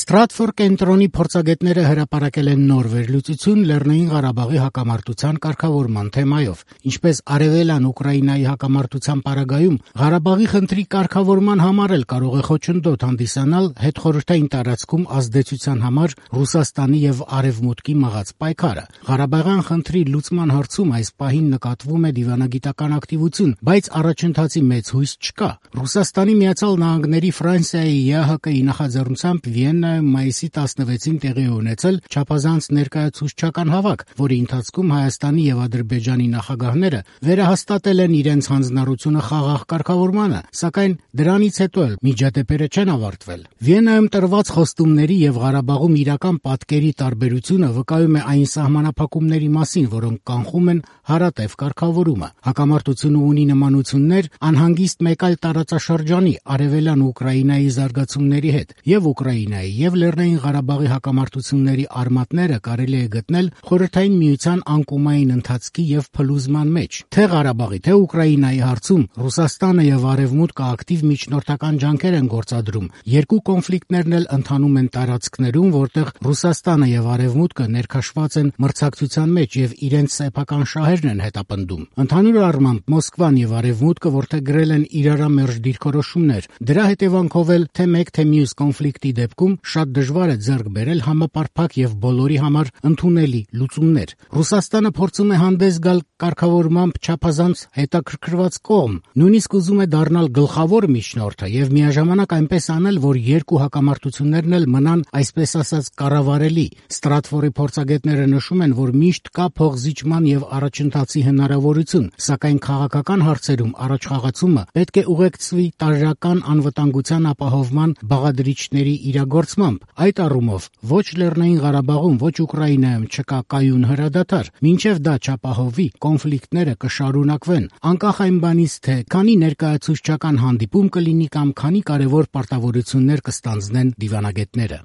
Ստրատֆոր կենտրոնի փորձագետները հրապարակել են նոր վերլուծություն Լեռնային Ղարաբաղի հակամարտության կարգավորման թեմայով, ինչպես արևելյան Ուկրաինայի հակամարտության պարագայում Ղարաբաղի խնդրի կարգավորման համար էլ կարող է խոչընդոտ հանդիսանալ հետխորհրդային տարածքում ազդեցության համար Ռուսաստանի եւ Արևմուտքի մղած պայքարը։ Ղարաբաղյան խնդրի լուծման հարցում այս պահին նկատվում է դիվանագիտական ակտիվություն, բայց առաջընթացի մեծ հույս չկա։ Ռուսաստանի Միացյալ Նահանգների, Ֆրանսիայի, ԵԱՀԿ-ի նախաձեռնությամբ Վիեննայում մայիսի 16-ին տեղի ունեցել չափազանց ներկայացուցչական հավաք, որի ընթացքում Հայաստանի եւ Ադրբեջանի նախագահները վերահաստատել են իրենց հանձնառությունը խաղաղ կարգավորմանը, սակայն դրանից հետո էլ միջադեպերը չեն ավարտվել։ Վիեննայում տրված խոստումների եւ Ղարաբաղում իրական պատկերի տարբերությունը վկայում է այն սահմանափակումների մասին, որոնք կանխում են հարատև կարգավորումը։ Հակամարտությունը ունի նմանություններ անհանգիստ մեկ այլ տարածաշրջանի արևելյան Ուկրաինայի զարգացումների հետ, եւ Ուկրաինայի եւ Լեռնային Ղարաբաղի հակամարտությունների արմատները կարելի է գտնել Խորհրդային Միության անկումային ընթացքի եւ փլուզման մեջ։ Թե Ղարաբաղի, թե Ուկրաինայի հարցում Ռուսաստանը եւ Արևմուտքը ակտիվ միջնորդական ջանքեր են գործադրում։ Երկու կոնֆլիկտներն էլ ընթանում են տարածքներում, որտեղ Ռուսաստանը եւ Արևմուտքը ներքաշված են մրցակցության մեջ եւ իրենց սեփական շահերն են հետապնդում։ Ընդհանուր առմամբ Մոսկվան եւ Արևմուտքը որդեգրել են իրարամերժ դիրքորոշումներ։ Դրա հետևանքով էլ թե մեկ թե մյուս կոնֆլիկտի դեպքում շատ դժվար է ձեռք բերել համապարփակ եւ բոլորի համար ընդունելի լուծումներ։ Ռուսաստանը փորձում է հանդես գալ կարգավորմամբ չափազանց հետաքրքրված կողմ, նույնիսկ ուզում է դառնալ գլխավոր միջնորդը եւ միաժամանակ այնպես անել, որ երկու հակամարտություններն էլ մնան այսպես ասած կառավարելի։ Ստրատֆորի փորձագետները նշում են, որ միշտ կա փոխզիջման եւ առաջընթացի հնարավորություն, սակայն քաղաքական հարցերում առաջխաղացումը պետք է ուղեկցվի տարրական անվտանգության ապահովման բաղադրիչների իրագործմամբ։ Այդ առումով ոչ Լեռնային Ղարաբաղում, ոչ Ուկրաինայում չկա կայուն հրադադար։ Մինչև դա չապահովվի, կոնֆլիկտները կշարունակվեն, անկախ այն բանից, թե քանի ներկայացուցչական հանդիպում կլինի կամ քանի կարևոր պարտավորություններ կստանձնեն դիվանագետները։